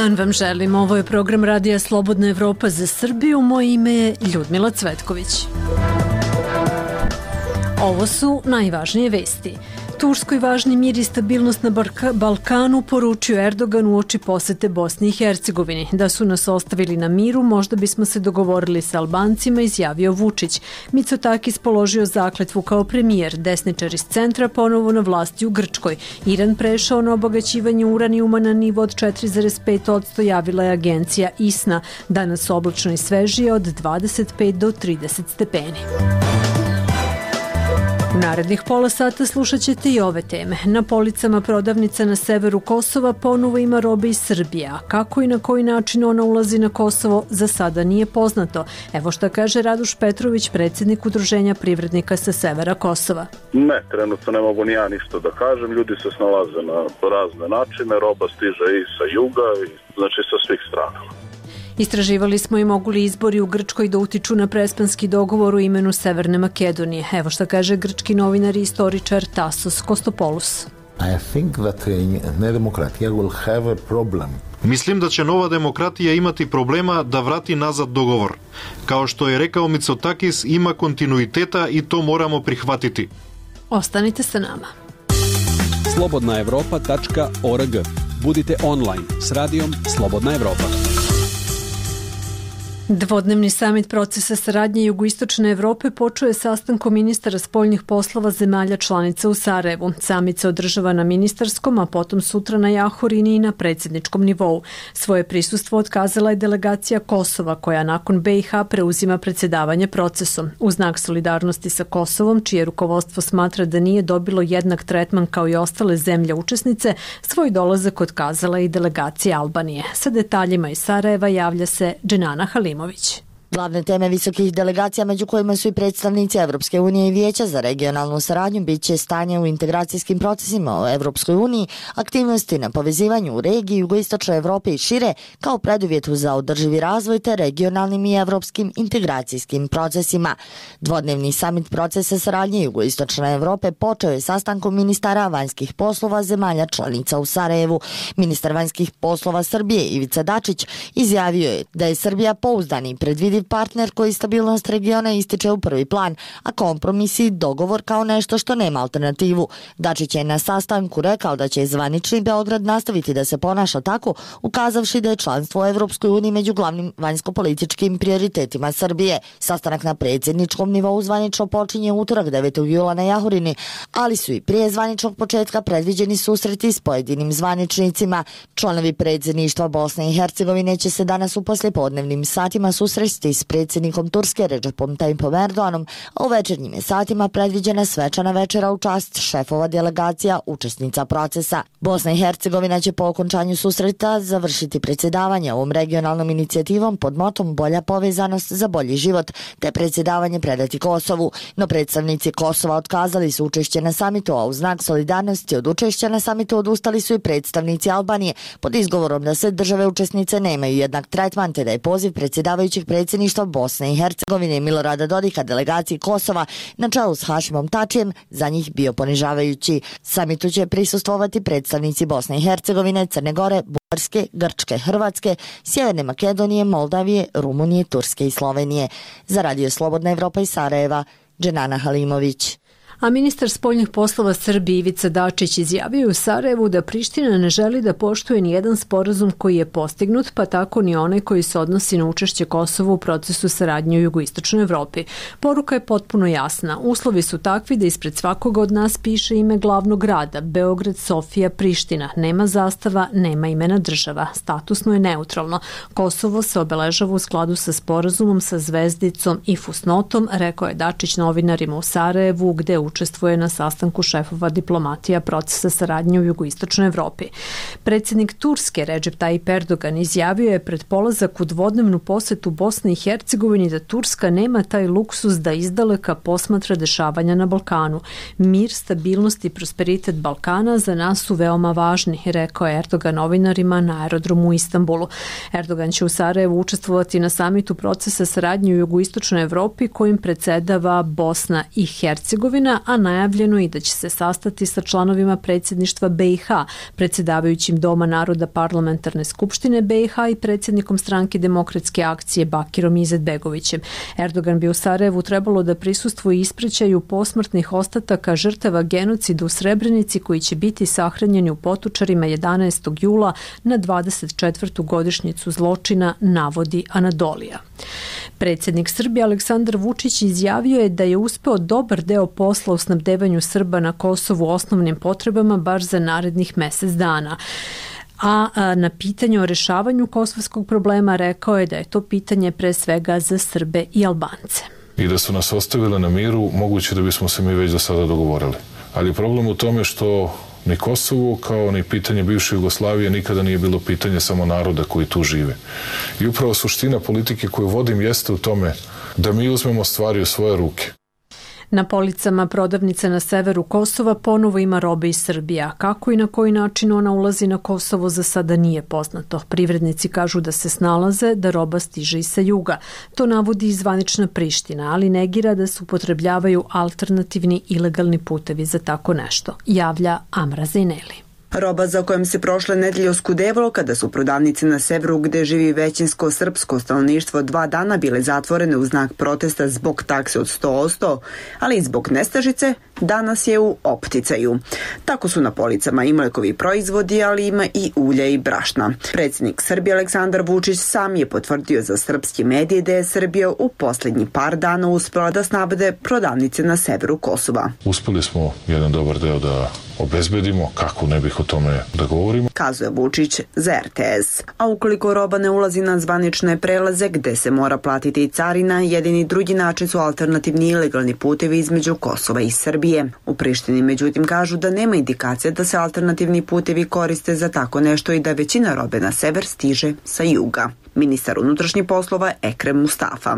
dan vam želim. Ovo je program Radija Slobodna Evropa za Srbiju. Moje ime je Ljudmila Cvetković. Ovo su najvažnije vesti. Turskoj važni mir i stabilnost na Balkanu, poručio Erdogan uoči posete Bosni i Hercegovini. Da su nas ostavili na miru, možda bismo se dogovorili sa Albancima, izjavio Vučić. Mitsotakis položio zakletvu kao premijer. Desničar iz centra ponovo na vlasti u Grčkoj. Iran prešao na obogaćivanje uranijuma na nivo od 4,5%, javila je agencija ISNA. Danas oblačno i svežije od 25 do 30 stepeni. U narednih pola sata slušat ćete i ove teme. Na policama prodavnica na severu Kosova ponovo ima robe iz Srbije, a kako i na koji način ona ulazi na Kosovo za sada nije poznato. Evo šta kaže Raduš Petrović, predsjednik Udruženja privrednika sa severa Kosova. Ne, trenutno ne mogu ni ja ništa da kažem, ljudi se snalaze na razne načine, roba stiže i sa juga, znači sa svih strana. Istraživali smo i mogu li izbori u Grčkoj da utiču na prespanski dogovor u imenu Severne Makedonije. Evo šta kaže grčki novinar i istoričar Tasos Kostopoulos. Mislim da će nova demokratija imati problema da vrati nazad dogovor. Kao što je rekao Mitsotakis, ima kontinuiteta i to moramo prihvatiti. Ostanite sa nama. slobodnaevropa.org. Budite online s radijom Slobodna Evropa. Dvodnevni samit procesa saradnje Jugoistočne Evrope počeo je sastankom ministara spoljnih poslova zemalja članica u Sarajevu. Samit se održava na ministarskom, a potom sutra na Jahorini i na predsjedničkom nivou. Svoje prisustvo otkazala je delegacija Kosova, koja nakon BiH preuzima predsjedavanje procesom. U znak solidarnosti sa Kosovom, čije rukovodstvo smatra da nije dobilo jednak tretman kao i ostale zemlje učesnice, svoj dolazak otkazala i delegacija Albanije. Sa detaljima iz Sarajeva javlja se Dženana Halimović. Glavne teme visokih delegacija, među kojima su i predstavnici Evropske unije i Vijeća za regionalnu saradnju, bit će stanje u integracijskim procesima u Evropskoj uniji, aktivnosti na povezivanju u regiji Jugoistočne Evrope i šire, kao preduvjetu za održivi razvoj te regionalnim i evropskim integracijskim procesima. Dvodnevni samit procesa saradnje Jugoistočne Evrope počeo je sastankom ministara vanjskih poslova zemalja članica u Sarajevu. Ministar vanjskih poslova Srbije Ivica Dačić izjavio je da je Srbija pouzdani i predvidiv partner koji stabilnost regiona ističe u prvi plan, a kompromis i dogovor kao nešto što nema alternativu. Dačić je na sastanku rekao da će zvanični Beograd nastaviti da se ponaša tako, ukazavši da je članstvo u Evropskoj uniji među glavnim vanjsko-političkim prioritetima Srbije. Sastanak na predsjedničkom nivou zvanično počinje utorak 9. jula na Jahorini, ali su i prije zvaničnog početka predviđeni susreti s pojedinim zvaničnicima. Članovi predsjedništva Bosne i Hercegovine će se danas u poslijepodnevnim satima susresti s predsjednikom Turske Recepom Tayyipom Erdoganom, a u večernjim je satima predviđena svečana večera u čast šefova delegacija učesnica procesa. Bosna i Hercegovina će po okončanju susreta završiti predsjedavanje ovom regionalnom inicijativom pod motom Bolja povezanost za bolji život, te predsjedavanje predati Kosovu. No predstavnici Kosova otkazali su učešće na samitu, a u znak solidarnosti od učešća na samitu odustali su i predstavnici Albanije pod izgovorom da sve države učesnice nemaju jednak tretman, te da je poziv predsjedavajućeg predsjedništva Bosne i Hercegovine Milorada Dodika delegaciji Kosova na čelu s Hašimom Tačijem za njih bio ponižavajući. Samitu će prisustvovati predstavnici Bosne i Hercegovine, Crne Gore, Bugarske, Grčke, Hrvatske, Sjeverne Makedonije, Moldavije, Rumunije, Turske i Slovenije. Za Radio Slobodna Evropa iz Sarajeva, Dženana Halimović. A ministar spoljnih poslova Srbije Ivica Dačić izjavio u Sarajevu da Priština ne želi da poštuje ni jedan sporazum koji je postignut, pa tako ni onaj koji se odnosi na učešće Kosova u procesu saradnje u Jugoistočnoj Evropi. Poruka je potpuno jasna. Uslovi su takvi da ispred svakoga od nas piše ime glavnog grada, Beograd, Sofija, Priština. Nema zastava, nema imena država. Statusno je neutralno. Kosovo se obeležava u skladu sa sporazumom sa zvezdicom i fusnotom, rekao je Dačić novinarima u Sarajevu, gde učestvuje na sastanku šefova diplomatija procesa saradnje u Jugoistočnoj Evropi. Predsjednik Turske Recep Tayyip Erdogan izjavio je pred polazak u dvodnevnu posetu Bosne i Hercegovini da Turska nema taj luksus da izdaleka posmatra dešavanja na Balkanu. Mir, stabilnost i prosperitet Balkana za nas su veoma važni, rekao je Erdogan novinarima na aerodromu u Istanbulu. Erdogan će u Sarajevu učestvovati na samitu procesa saradnje u Jugoistočnoj Evropi kojim predsjedava Bosna i Hercegovina, Zločina, a najavljeno i da će se sastati sa članovima predsjedništva BiH, predsjedavajućim Doma naroda Parlamentarne skupštine BiH i predsjednikom stranke Demokratske akcije Bakirom Izetbegovićem. Erdogan bi u Sarajevu trebalo da prisustvuje ispraćaju posmrtnih ostataka žrtava genocida u Srebrenici koji će biti sahranjeni u Potočarima 11. jula na 24. godišnjicu zločina, navodi Anadolija. Predsjednik Srbije Aleksandar Vučić izjavio je da je uspeo dobar deo posla u snabdevanju Srba na Kosovu osnovnim potrebama baš za narednih mjesec dana. A na pitanje o rešavanju kosovskog problema rekao je da je to pitanje pre svega za Srbe i Albance. I da su nas ostavili na miru, moguće da bismo se mi već do sada dogovorili. Ali problem u tome što ni Kosovo kao ni pitanje bivše Jugoslavije nikada nije bilo pitanje samo naroda koji tu žive. I upravo suština politike koju vodim jeste u tome da mi uzmemo stvari u svoje ruke. Na policama prodavnice na severu Kosova ponovo ima robe iz Srbije, a kako i na koji način ona ulazi na Kosovo za sada nije poznato. Privrednici kažu da se snalaze, da roba stiže i sa juga. To navodi i zvanična Priština, ali negira da se upotrebljavaju alternativni ilegalni putevi za tako nešto, javlja Amra Zejneli. Roba za kojom se prošle nedelje oskudevalo kada su prodavnice na severu gde živi većinsko srpsko stanovništvo 2 dana bile zatvorene u znak protesta zbog takse od 100%, ali i zbog nestašice, danas je u opticaju. Tako su na policama i mlekovi proizvodi, ali ima i ulja i brašna. Predsjednik Srbije Aleksandar Vučić sam je potvrdio za srpski medije da je Srbija u posljednji par dana uspela da snabde prodavnice na severu Kosova. Uspeli smo jedan dobar deo da obezbedimo, kako ne bih o tome da govorimo, kazuje Vučić za RTS. A ukoliko roba ne ulazi na zvanične prelaze gde se mora platiti i carina, jedini drugi način su alternativni ilegalni putevi između Kosova i Srbije. U Prištini međutim kažu da nema indikacija da se alternativni putevi koriste za tako nešto i da većina robe na sever stiže sa juga. Ministar unutrašnjih poslova Ekrem Mustafa.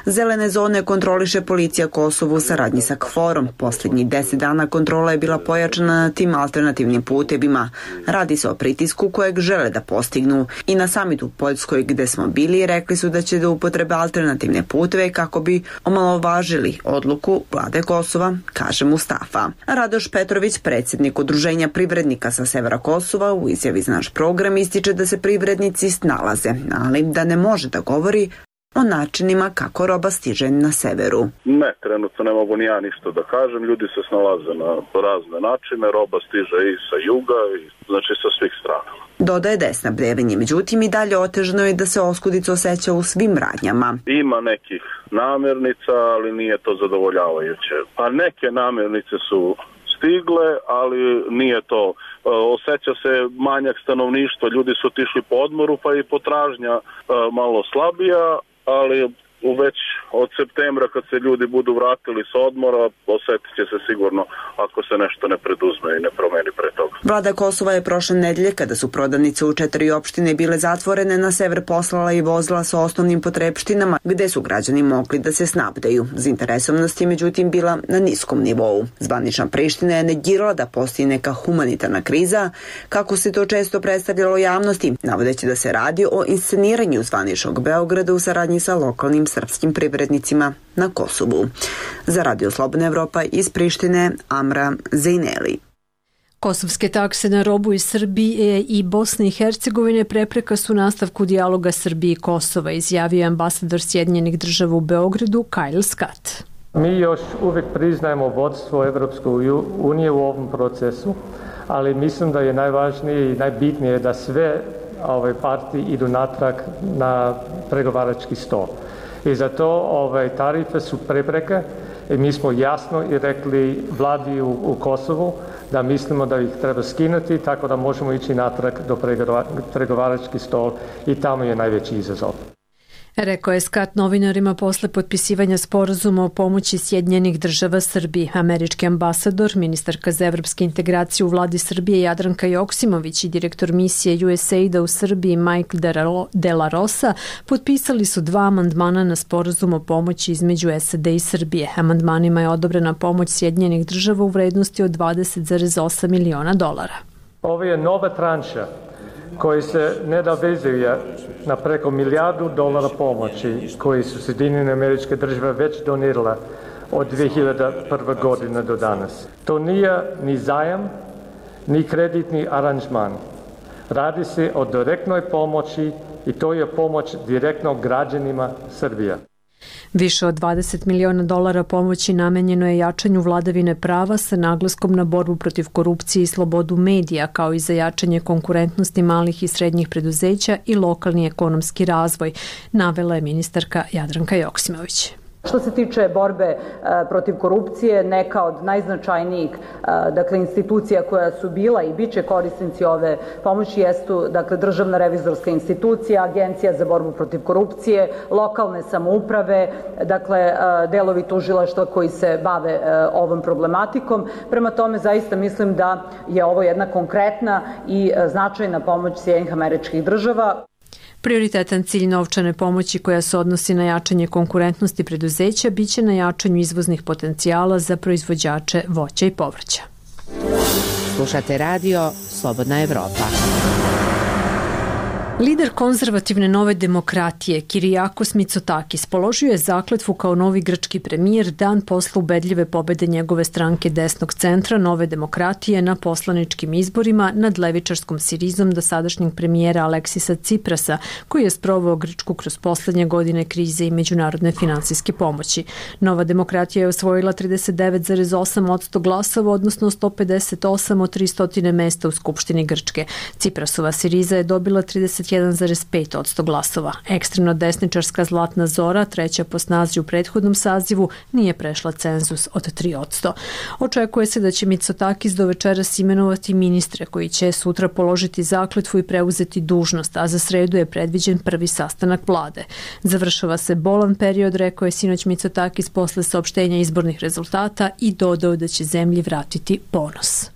Zelene zone kontroliše policija Kosovu u saradnji sa KFOR-om. Posljednjih 10 dana kontrola je bila pojačana na tim alternativnim putevima. Radi se o pritisku kojeg žele da postignu. I na samitu u Poljskoj gde smo bili rekli su da će da upotrebe alternativne puteve kako bi omalovažili odluku vlade Kosova, kaže Mustafa. Radoš Petrović, predsjednik Udruženja privrednika sa severa Kosova, u izjavi za naš program ističe da se privrednici snalaze, ali da ne može da govori o načinima kako roba stiže na severu. Ne, trenutno ne mogu ni ja ništa da kažem, ljudi se snalaze na razne načine, roba stiže i sa juga, znači sa svih strana. Dodaje da je snabdevanje, međutim i dalje otežano je da se oskudica osjeća u svim radnjama. Ima nekih namirnica, ali nije to zadovoljavajuće. Pa neke namirnice su stigle, ali nije to. Osjeća se manjak stanovništva, ljudi su otišli po odmoru, pa i potražnja malo slabija, ali već od septembra kad se ljudi budu vratili s odmora, osjetit će se sigurno ako se nešto ne preduzme i ne promeni pre toga. Vlada Kosova je prošle nedelje, kada su prodavnice u 4 opštine bile zatvorene, na sever poslala i vozila sa osnovnim potrepštinama gde su građani mogli da se snabdeju. Zainteresovanost je međutim bila na niskom nivou. Zvanična Priština je negirala da postoji neka humanitarna kriza, kako se to često predstavljalo javnosti, navodeći da se radi o insceniranju zvaničnog Beograda u saradnji sa lokalnim srpskim privrednicima na Kosovu. Za Radio Slobodna Evropa iz Prištine, Amra Zejneli. Kosovske takse na robu iz Srbije i Bosne i Hercegovine prepreka su nastavku dijaloga Srbije i Kosova, izjavio ambasador Sjedinjenih Država u Beogradu Kyle Scott. Mi još uvijek priznajemo vodstvo Evropske unije u ovom procesu, ali mislim da je najvažnije i najbitnije da sve ove partije idu natrag na pregovarački stol. I zato tarife su prepreke i mi smo jasno i rekli vladi u Kosovu da mislimo da ih treba skinuti tako da možemo ići natrag do pregovarački stol i tamo je najveći izazov. Rekao je Scott novinarima posle potpisivanja sporazuma o pomoći Sjedinjenih Država Srbiji. Američki ambasador, ministarka za evropske integracije u vladi Srbije Jadranka Joksimović i direktor misije USAID-a u Srbiji Mike De La Rosa potpisali su 2 amandmana na sporazum o pomoći između SAD i Srbije. Amandmanima je odobrena pomoć Sjedinjenih Država u vrednosti od $20,8 miliona. Ovo je nova tranša koji se nadovezuje na preko $1 milijardu pomoći koji su Sjedinjene Američke Države već donirale od 2001. godine do danas. To nije ni zajam, ni kreditni aranžman. Radi se o direktnoj pomoći i to je pomoć direktno građanima Srbije. Više od $20 miliona pomoći namenjeno je jačanju vladavine prava sa naglaskom na borbu protiv korupcije i slobodu medija, kao i za jačanje konkurentnosti malih i srednjih preduzeća i lokalni ekonomski razvoj, navela je ministarka Jadranka Joksimović. Što se tiče borbe protiv korupcije, neka od najznačajnijih institucija koja su bila i bit će korisnici ove pomoći jesu Državna revizorska institucija, Agencija za borbu protiv korupcije, lokalne samouprave, delovi tužilaštva koji se bave ovom problematikom. Prema tome, zaista mislim da je ovo jedna konkretna i značajna pomoć Sjedinjenih Američkih Država. Prioritetan cilj novčane pomoći koja se odnosi na jačanje konkurentnosti preduzeća biće na jačanju izvoznih potencijala za proizvođače voća i povrća. Slušate radio Slobodna Evropa. Lider konzervativne Nove demokratije Kirijakos Mitsotakis položio je zakletvu kao novi grčki premijer dan posle ubedljive pobede njegove stranke desnog centra Nove demokratije na poslaničkim izborima nad levičarskom Sirizom dosadašnjeg premijera Aleksisa Ciprasa, koji je sproveo Grčku kroz poslednje godine krize i međunarodne finansijske pomoći. Nova demokratija je osvojila 39,8% glasova, odnosno 158 od 300 mesta u Skupštini Grčke. Ciprasova Siriza je dobila 31,5% glasova. Ekstremno desničarska Zlatna Zora, treća po snazi u prethodnom sazivu, nije prešla cenzus od 3%. Očekuje se da će Mitsotakis do večeras imenovati ministre koji će sutra položiti zakletvu i preuzeti dužnost, a za sredu je predviđen prvi sastanak vlade. Završava se bolan period, rekao je sinoć Mitsotakis posle saopštenja izbornih rezultata i dodao da će zemlji vratiti ponos.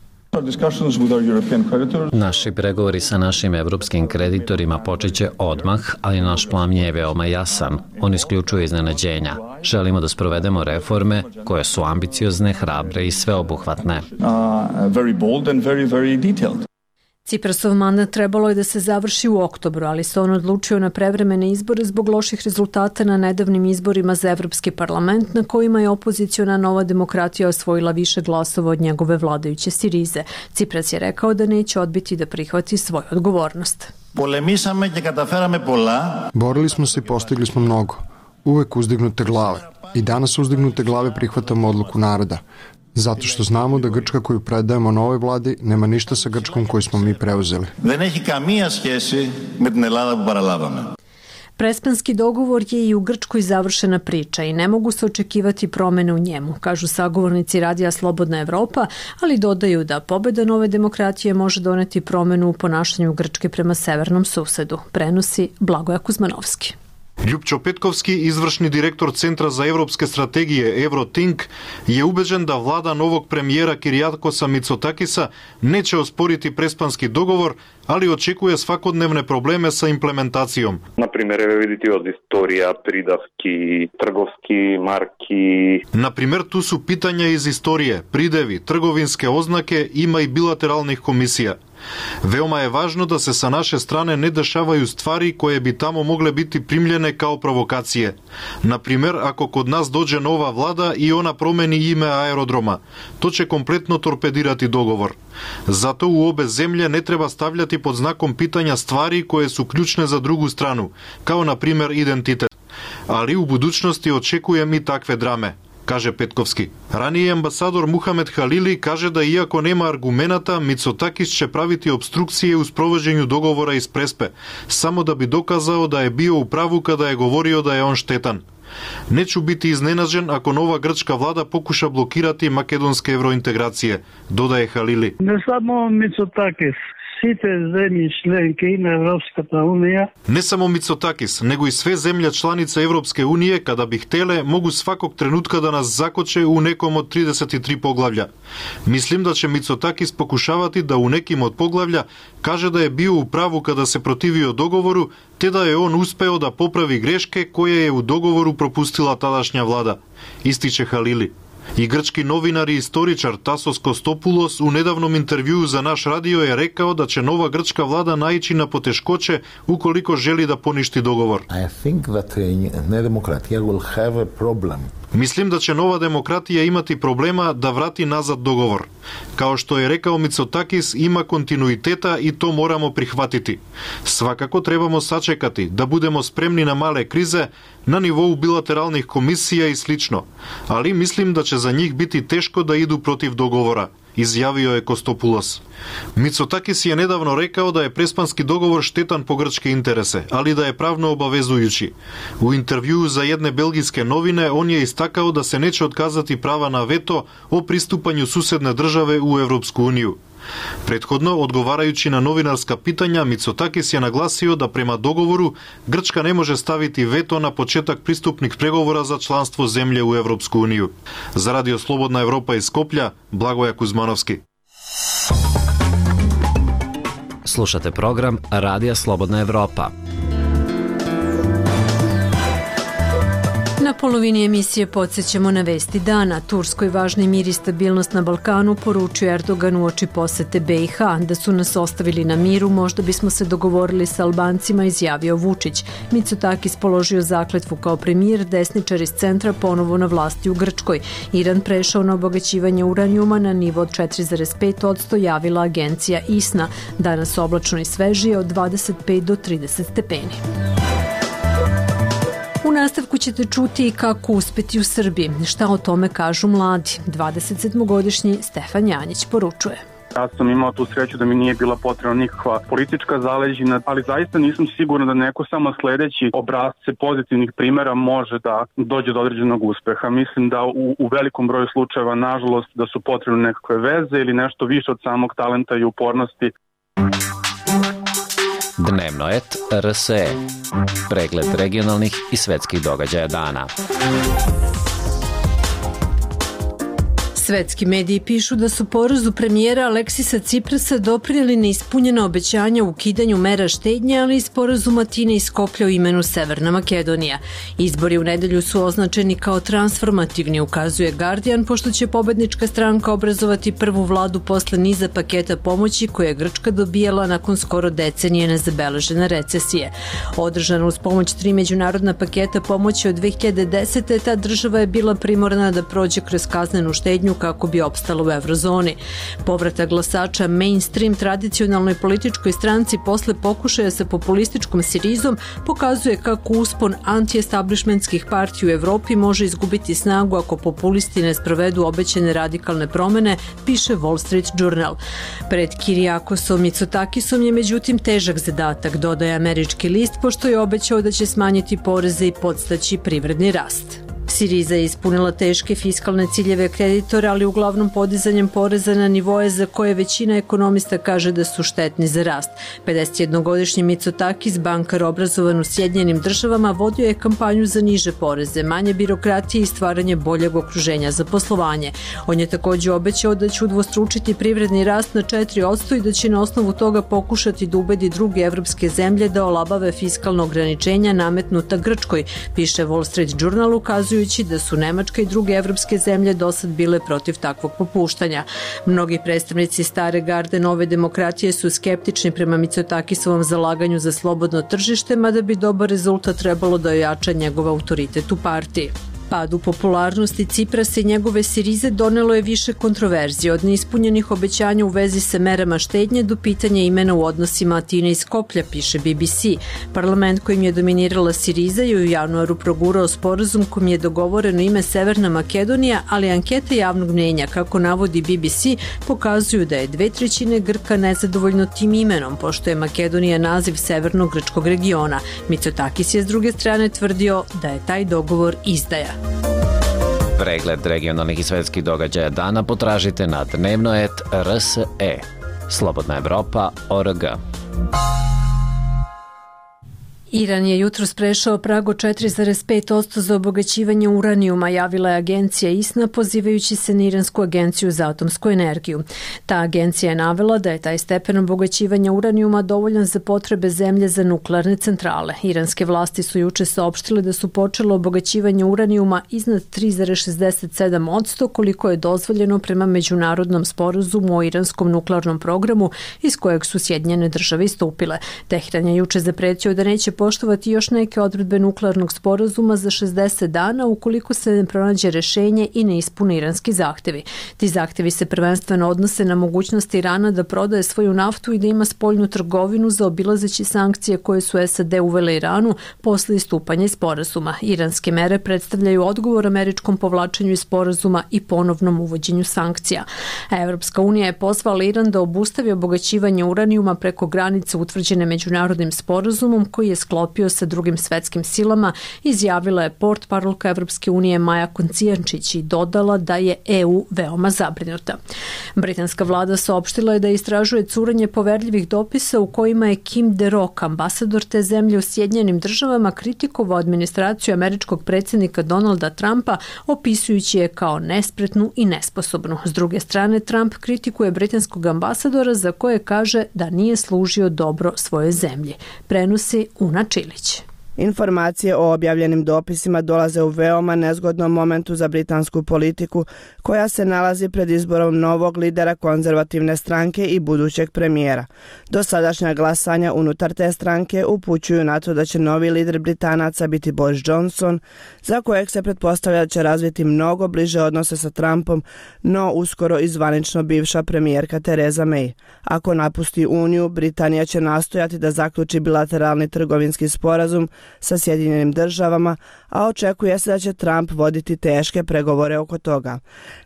Naši pregovori sa našim evropskim kreditorima počeće odmah, ali naš plan je veoma jasan. On isključuje iznenađenja. Želimo da sprovedemo reforme koje su ambiciozne, hrabre i sveobuhvatne. Ciprasov mandat trebalo je da se završi u oktobru, ali se on odlučio na prevremene izbore zbog loših rezultata na nedavnim izborima za Evropski parlament, na kojima je opoziciona Nova demokratija osvojila više glasova od njegove vladajuće Sirize. Cipras je rekao da neće odbiti da prihvati svoju odgovornost. Borili smo se i postigli smo mnogo. Uvek uzdignute glave. I danas uzdignute glave prihvatamo odluku naroda. Zato što znamo da Grčka koju predajemo novoj vladi nema ništa sa Grčkom koju smo mi preuzeli. Prespanski dogovor je i u Grčkoj završena priča i ne mogu se očekivati promene u njemu, kažu sagovornici radija Slobodna Evropa, ali dodaju da pobeda Nove demokratije može doneti promenu u ponašanju Grčke prema severnom susedu, prenosi Blagoja Kuzmanovski. Ljupčo Petkovski, izvršni direktor Centra za evropske strategije Eurotink, je ubeđen da vlada novog premijera Kirijakosa Mitsotakisa neće osporiti prespanski dogovor, ali očekuje svakodnevne probleme sa implementacijom. Например, видите од историја, придавки, трговски марки. Например, tu su pitanja iz istorije, pridevi, trgovinske oznake, ima i bilateralnih komisija. Veoma je važno da se sa naše strane ne dešavaju stvari koje bi tamo mogle biti primljene kao provokacije. Naprimjer, ako kod nas dođe nova vlada i ona promeni ime aerodroma, to će kompletno torpedirati dogovor. Zato u obe zemlje ne treba stavljati pod znakom pitanja stvari koje su ključne za drugu stranu, kao na primjer identitet. Ali u budućnosti očekujem i takve drame, kaže Petkovski. Ranije ambasador Muhamed Halili kaže da iako nema argumenata, Mitsotakis će praviti obstrukcije u sprovođenju dogovora iz Prespe, samo da bi dokazao da je bio u pravu kada je govorio da je on štetan. Neću biti iznenađen ako nova grčka vlada pokuša blokirati makedonske evrointegracije, dodaje Halili. Ne samo Mitsotakis. Ne samo Mitsotakis, nego i sve zemlje članice Evropske unije, kada bi htele, mogu svakog trenutka da nas zakoče u nekom od 33 poglavlja. Mislim da će Mitsotakis pokušavati da u nekim od poglavlja kaže da je bio u pravu kada se protivio dogovoru, te da je on uspeo da popravi greške koje je u dogovoru propustila tadašnja vlada, ističe Halili. И грчки новинар и историчар Тасос Костопулос у недавном интервјуу за наш радио е рекао да ќе нова грчка влада најчи на потешкоче уколико жели да поништи договор. I think that Nedemokratija will have a problem. Мислим да ќе нова демократија имати проблема да врати назад договор. Као што е рекао Мицотакис, има континуитета и то морамо прихватити. Свакако требамо сачекати да будемо спремни на мале кризе на нивоу билатералних комисија и слично, али мислим да ќе за нив бити тешко да иду против договора, изјавио е Костопулос. Мицотакис е недавно рекао да е преспански договор штетан по грчки интересе, али да е правно обавезујучи. У интервјуу за едне белгиске новине, он е истакао да се нече отказати права на вето о приступању суседне државе у Европску унију. Предходно, одговарајучи на новинарска питања, Мицотакис ја нагласио да према договору Грчка не може ставити вето на почеток приступник преговора за членство земје у Европску унију. За Радио Слободна Европа из Скопје, Благоја Кузмановски. Слушате програм Радија Слободна Европа. Na polovini emisije podsjećamo na vesti dana. Turskoj važni mir i stabilnost na Balkanu, poručio Erdogan uoči posete BiH. Da su nas ostavili na miru, možda bismo se dogovorili sa Albancima, izjavio Vučić. Mitsotakis položio zakletvu kao premijer, desničar iz centra ponovo na vlasti u Grčkoj. Iran prešao na obogaćivanje uranijuma na nivo od 4,5%, javila agencija ISNA. Danas oblačno i svežije od 25 do 30 stepeni. U nastavku ćete čuti kako uspeti u Srbiji. Šta o tome kažu mladi? 27-godišnji Stefan Janjić poručuje. Ja sam imao tu sreću da mi nije bila potrebna nikakva politička zaleđina, ali zaista nisam siguran da neko samo sledeći obrazce pozitivnih primjera može da dođe do određenog uspeha. Mislim da u velikom broju slučajeva, nažalost, da su potrebne nekakve veze ili nešto više od samog talenta i upornosti. Dnevnoet RSE. Pregled regionalnih i svetskih događaja dana. Svetski mediji pišu da su porazu premijera Aleksisa Ciprasa doprineli neispunjena obećanja u ukidanju mera štednje, ali i sporazum Atine i Skoplja u imenu Severna Makedonija. Izbori u nedelju su označeni kao transformativni, ukazuje Guardian, pošto će pobednička stranka obrazovati prvu vladu posle niza paketa pomoći koje je Grčka dobijala nakon skoro decenije nezabeležene recesije. Održana uz pomoć 3 međunarodna paketa pomoći od 2010. ta država je bila primorana da prođe kroz kaznenu štednju kako bi opstala u eurozoni. Povratak glasača mainstream tradicionalnoj političkoj stranci posle pokušaja sa populističkom Sirizom pokazuje kako uspon anti-establishmentskih partija u Evropi može izgubiti snagu ako populisti ne sprovedu obećane radikalne promene, piše Wall Street Journal. Pred Kirijakosom Mitsotakisom je međutim težak zadatak, dodaje američki list, pošto je obećao da će smanjiti poreze i podstaći privredni rast. Siriza je ispunila teške fiskalne ciljeve kreditora, ali uglavnom podizanjem poreza na nivoje za koje većina ekonomista kaže da su štetni za rast. 51-godišnji Mitsotakis, bankar obrazovan u Sjedinjenim državama, vodio je kampanju za niže poreze, manje birokratije i stvaranje boljeg okruženja za poslovanje. On je takođe obećao da će udvostručiti privredni rast na 4% i da će na osnovu toga pokušati da ubedi druge evropske zemlje da olabave fiskalno ograničenja nametnuta Grčkoj, piše Wall Street Journal, ukazujući da su Nemačka i druge evropske zemlje dosad bile protiv takvog popuštanja. Mnogi predstavnici stare garde nove demokratije su skeptični prema Mitsotakisovom zalaganju za slobodno tržište, mada bi dobar rezultat trebalo da ojača njegov autoritet u partiji. Pad u popularnosti Ciprasa i njegove Sirize donelo je više kontroverzije, od neispunjenih obećanja u vezi sa merama štednje do pitanja imena u odnosima Atine i Skoplja, piše BBC. Parlament kojim je dominirala Siriza je u januaru progurao sporazum kojim je dogovoreno ime Severna Makedonija, ali ankete javnog mnjenja, kako navodi BBC, pokazuju da je 2/3 Grka nezadovoljno tim imenom, pošto je Makedonija naziv severnog grčkog regiona. Mitsotakis je s druge strane tvrdio da je taj dogovor izdaja. Pregled regionalnih i svetskih događaja dana potražite na Dnevnoet RSE. Slobodna Evropa.org. Iran je jutros prešao prag od 4,5% za obogaćivanje uranijuma, javila je agencija ISNA pozivajući se na Iransku agenciju za atomsku energiju. Ta agencija je navela da je taj stepen obogaćivanja uranijuma dovoljan za potrebe zemlje za nuklearne centrale. Iranske vlasti su juče saopštile da su počele obogaćivanje uranijuma iznad 3,67%, koliko je dozvoljeno prema međunarodnom sporazumu o iranskom nuklearnom programu iz kojeg su Sjedinjene države istupile. Tehran je juče zapretio da neće poštovati još neke odredbe nuklearnog sporazuma za 60 dana ukoliko se ne pronađe rešenje i ne ispune iranski zahtevi. Ti zahtevi se prvenstveno odnose na mogućnost Irana da prodaje svoju naftu i da ima spoljnu trgovinu zaobilazeći sankcije koje su SAD uvele Iranu posle istupanja iz sporazuma. Iranske mere predstavljaju odgovor američkom povlačenju iz sporazuma i ponovnom uvođenju sankcija. Evropska unija je pozvala Iran da obustavi obogaćivanje uranijuma preko granice utvrđene međunarodnim sporazumom koji je sklopio sa drugim svetskim silama, izjavila je portparolka Evropske unije Maja Koncijančić i dodala da je EU veoma zabrinuta. Britanska vlada saopštila je da istražuje curenje poverljivih dopisa u kojima je Kim DeRock, ambasador te zemlje u Sjedinjenim državama, kritikovao administraciju američkog predsjednika Donalda Trumpa, opisujući je kao nespretnu i nesposobnu. S druge strane, Trump kritikuje britanskog ambasadora za koje kaže da nije služio dobro svojoj zemlji. Prenosi Una Čilić. Informacije o objavljenim dopisima dolaze u veoma nezgodnom momentu za britansku politiku, koja se nalazi pred izborom novog lidera konzervativne stranke i budućeg premijera. Dosadašnja glasanja unutar te stranke upućuju na to da će novi lider Britanaca biti Boris Johnson, za kojeg se pretpostavlja da će razviti mnogo bliže odnose sa Trumpom, no uskoro i zvanično bivša premijerka Theresa May. Ako napusti Uniju, Britanija će nastojati da zaključi bilateralni trgovinski sporazum sa Sjedinjenim državama, a očekuje se da će Trump voditi teške pregovore oko toga.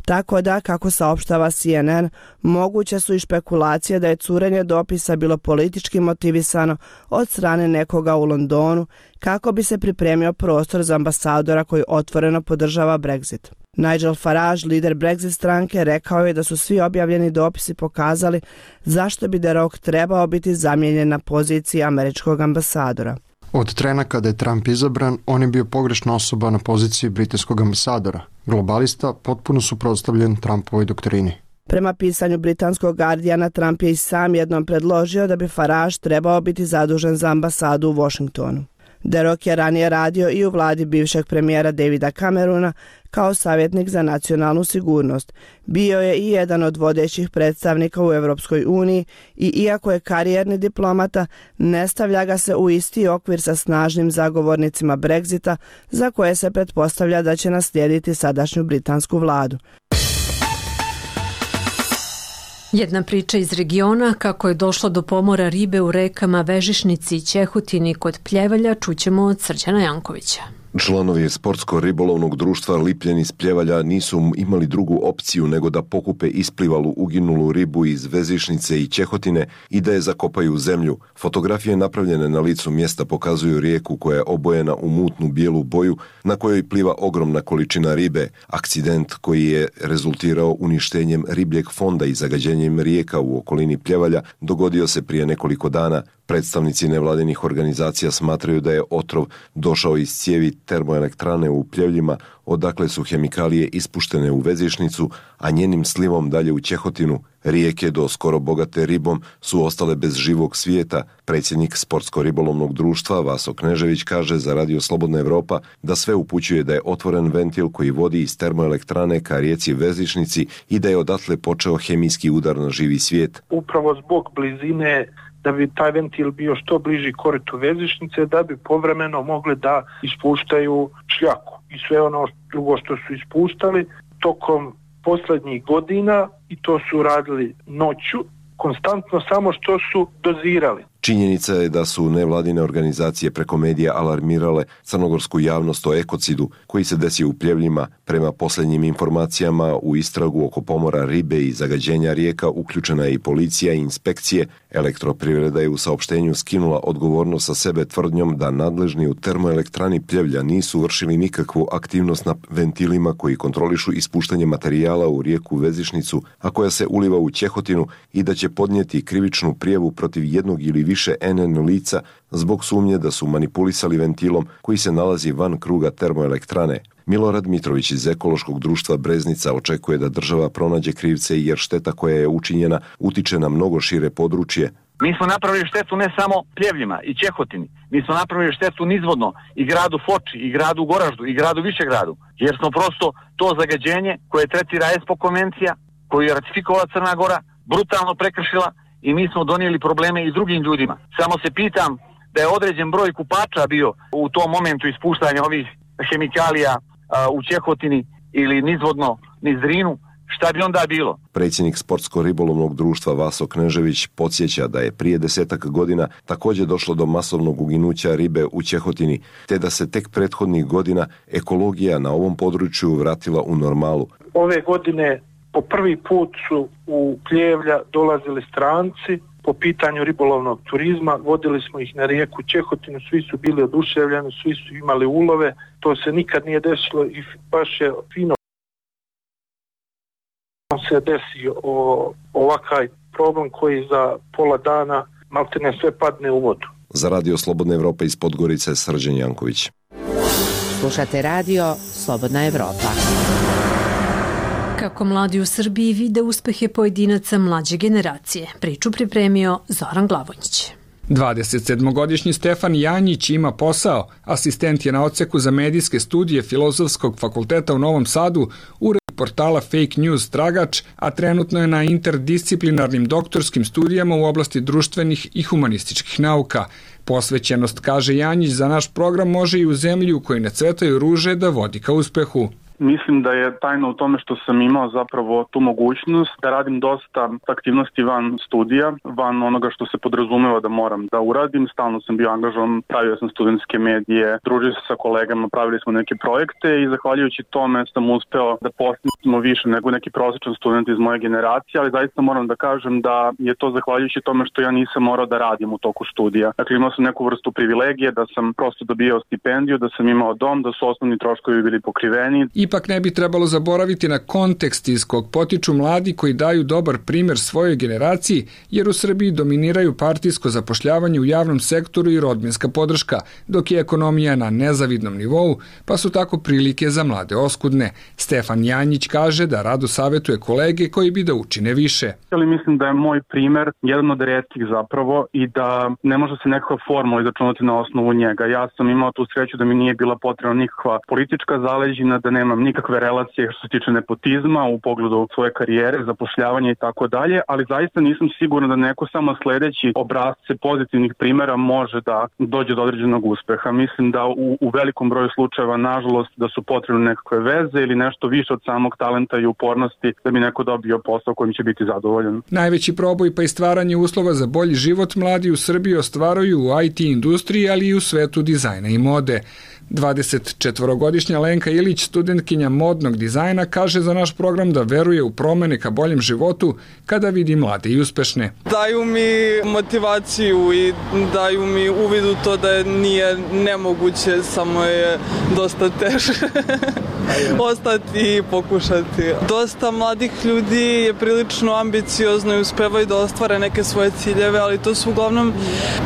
Tako da, kako saopštava CNN, moguće su i špekulacije da je curenje dopisa bilo politički motivisano od strane nekoga u Londonu kako bi se pripremio prostor za ambasadora koji otvoreno podržava Brexit. Nigel Farage, lider Brexit stranke, rekao je da su svi objavljeni dopisi pokazali zašto bi DeRock trebao biti zamijenjen na poziciji američkog ambasadora. Od trena kada je Trump izabran, on je bio pogrešna osoba na poziciji britanskog ambasadora. Globalista potpuno suprotstavljen Trumpovoj doktrini. Prema pisanju britanskog Guardiana, Trump je i sam jednom predložio da bi Farage trebao biti zadužen za ambasadu u Washingtonu. DeRock je ranije radio i u vladi bivšeg premijera Davida Cameruna kao savjetnik za nacionalnu sigurnost. Bio je i jedan od vodećih predstavnika u Evropskoj uniji i iako je karijerni diplomata, ne stavlja ga se u isti okvir sa snažnim zagovornicima Brexita, za koje se pretpostavlja da će naslijediti sadašnju britansku vladu. Jedna priča iz regiona kako je došlo do pomora ribe u rekama Vežišnici i Ćehutini kod Pljevalja čućemo od Srđana Jankovića. Članovi sportsko-ribolovnog društva Lipljen iz Pljevalja nisu imali drugu opciju nego da pokupe isplivalu uginulu ribu iz Vezišnice i Ćehotine i da je zakopaju u zemlju. Fotografije napravljene na licu mjesta pokazuju rijeku koja je obojena u mutnu bijelu boju na kojoj pliva ogromna količina ribe. Akcident koji je rezultirao uništenjem ribljeg fonda i zagađenjem rijeka u okolini Pljevalja dogodio se prije nekoliko dana. Predstavnici nevladinih organizacija smatraju da je otrov došao iz cijevi termoelektrane u Pljevljima, odakle su hemikalije ispuštene u Vezišnicu, a njenim slivom dalje u Ćehotinu. Rijeke, do skoro bogate ribom, su ostale bez živog svijeta. Predsjednik Sportsko-ribolovnog društva Vaso Knežević kaže za Radio Slobodna Evropa da sve upućuje da je otvoren ventil koji vodi iz termoelektrane ka rijeci Vezišnici i da je odatle počeo hemijski udar na živi svijet. Upravo zbog blizine, da bi taj ventil bio što bliži koritu Vezišnice, da bi povremeno mogli da ispuštaju šljaku i sve ono drugo što su ispuštali tokom posljednjih godina, i to su radili noću, konstantno, samo što su dozirali. Činjenica je da su nevladine organizacije preko medija alarmirale crnogorsku javnost o ekocidu koji se desio u Pljevljima. Prema posljednjim informacijama, u istragu oko pomora ribe i zagađenja rijeka uključena je i policija i inspekcije. Elektroprivreda je u saopštenju skinula odgovornost sa sebe tvrdnjom da nadležni u termoelektrani Pljevlja nisu vršili nikakvu aktivnost na ventilima koji kontrolišu ispuštanje materijala u rijeku Vezišnicu, a koja se uliva u Ćehotinu, i da će podnijeti krivičnu prijavu protiv jednog ili više NN lica zbog sumnje da su manipulisali ventilom koji se nalazi van kruga termoelektrane. Milorad Mitrović iz Ekološkog društva Breznica očekuje da država pronađe krivce jer šteta koja je učinjena utiče na mnogo šire područje. Mi smo napravili štetu ne samo Pljevljima i Čehotini, mi smo napravili štetu nizvodno i gradu Foči, i gradu Goraždu, i gradu Višegradu, jer smo prosto to zagađenje koje tretira ESPO konvencija, koju je ratifikovala Crna Gora, brutalno prekršila i mi smo donijeli probleme i drugim ljudima. Samo se pitam da je određen broj kupača bio u tom momentu ispuštanja ovih hemikalija u Čehotini ili nizvodno niz Drinu, šta bi onda bilo? Predsjednik Sportsko-ribolovnog društva Vaso Knežević podsjeća da je prije 10 godina također došlo do masovnog uginuća ribe u Čehotini, te da se tek prethodnih godina ekologija na ovom području vratila u normalu. Ove godine po prvi put su u Pljevlja dolazili stranci po pitanju ribolovnog turizma, vodili smo ih na rijeku Čehotinu, svi su bili oduševljeni, svi su imali ulove, to se nikad nije desilo i baš je fino se desio ovakav problem koji za pola dana maltene sve padne u vodu. Za Radio Slobodna Evropa iz Podgorice, Srđan Janković. Slušate Radio Slobodna Evropa. Kako mladi u Srbiji vide uspehe pojedinaca mlađe generacije. Priču pripremio Zoran Glavonjić. 27-godišnji Stefan Janjić ima posao. Asistent je na odseku za medijske studije Filozofskog fakulteta u Novom Sadu, urednik portala Fake News Tragač, a trenutno je na interdisciplinarnim doktorskim studijama u oblasti društvenih i humanističkih nauka. Posvećenost, kaže Janjić, za naš program može i u zemlji u kojoj ne cvetaju ruže da vodi ka uspehu. Mislim da je tajna u tome što sam imao zapravo tu mogućnost da radim dosta aktivnosti van studija, van onoga što se podrazumeva da moram da uradim. Stalno sam bio angažovan, pravio sam studentske medije, družio se sa kolegama, pravili smo neke projekte i zahvaljujući tome sam uspeo da postignemo više nego neki prosječan student iz moje generacije, ali zaista moram da kažem da je to zahvaljujući tome što ja nisam morao da radim u toku studija. Dakle, imao sam neku vrstu privilegije da sam prosto dobijao stipendiju, da sam imao dom, da su osnovni troškovi bili pokriveni. Ipak ne bi trebalo zaboraviti na kontekst iz kog potiču mladi koji daju dobar primjer svojoj generaciji, jer u Srbiji dominiraju partijsko zapošljavanje u javnom sektoru i rodbinska podrška, dok je ekonomija na nezavidnom nivou, pa su tako prilike za mlade oskudne. Stefan Janjić kaže da rado savjetuje kolege koji bi da učine više. Ali mislim da je moj primjer jedan od retkih zapravo i da ne može se nekakva formula izračunati na osnovu njega. Ja sam imao tu sreću da mi nije bila potrebna nikakva politička zaleđina, da nemam nikakve relacije što se tiče nepotizma u pogledu svoje karijere, zapošljavanja i tako dalje, ali zaista nisam siguran da neko samo sledeći obrazce pozitivnih primjera može da dođe do određenog uspeha. Mislim da u velikom broju slučajeva, nažalost, da su potrebne nekakve veze ili nešto više od samog talenta i upornosti da bi neko dobio posao kojim će biti zadovoljan. Najveći proboj pa i stvaranje uslova za bolji život mladi u Srbiji ostvaruju u IT industriji, ali i u svetu dizajna i mode. 24-godišnja Lenka Ilić, studentkinja modnog dizajna, kaže za naš program da veruje u promene ka boljem životu kada vidi mlade i uspešne. Daju mi motivaciju i daju mi uvid u to da nije nemoguće, samo je dosta teže ostati i pokušati. Dosta mladih ljudi je prilično ambiciozno i uspevaju da ostvare neke svoje ciljeve, ali to su uglavnom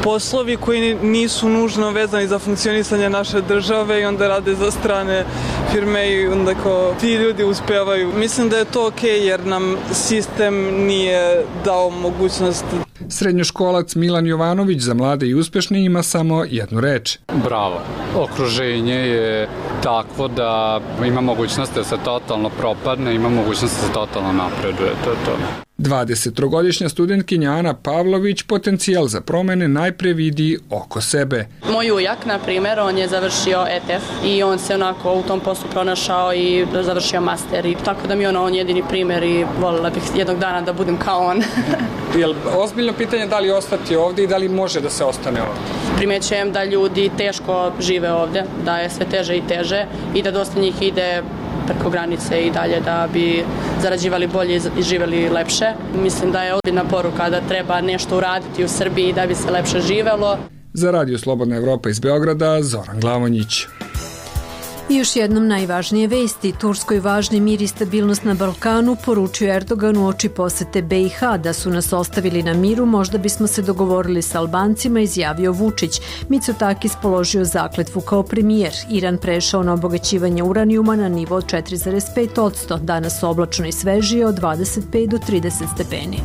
poslovi koji nisu nužno vezani za funkcionisanje naše države i onda rade za strane firme i onda kao ti ljudi uspevaju. Mislim da je to okej jer nam sistem nije dao mogućnost. Srednjoškolac Milan Jovanović za mlade i uspešne ima samo jednu reč. Bravo. Okruženje je takvo da ima mogućnost da se totalno propadne, ima mogućnost da se totalno napreduje. To je to. 23-godišnja studentkinja Ana Pavlović potencijal za promene najpre vidi oko sebe. Moj ujak, na primjer, on je završio ETF i on se onako u tom poslu pronašao i završio master. I tako da mi je on jedini primjer i voljela bih jednog dana da budem kao on. Jel ozbiljno pitanje da li ostati ovdje i da li može da se ostane ovdje? Primećujem da ljudi teško žive ovdje, da je sve teže i teže i da dosta njih ide preko granice i dalje da bi zarađivali bolje i živjeli lepše. Mislim da je ozbiljna poruka da treba nešto uraditi u Srbiji da bi se lepše živelo. Za Radio Slobodna Evropa iz Beograda, Zoran Glavonjić. I još jednom najvažnije vesti. Turskoj važni mir i stabilnost na Balkanu, poručio Erdogan u oči posete BiH. Da su nas ostavili na miru, možda bismo se dogovorili sa Albancima, izjavio Vučić. Mitsotakis položio zakletvu kao premijer. Iran prešao na obogaćivanje uranijuma na nivo od 4,5%. Danas oblačno i svežije od 25 do 30 stepeni.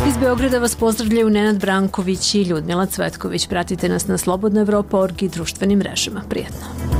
Iz Beograda vas pozdravljaju Nenad Branković i Ljudmila Cvetković. Pratite nas na slobodnaevropa.org i društvenim mrežama. Prijetno.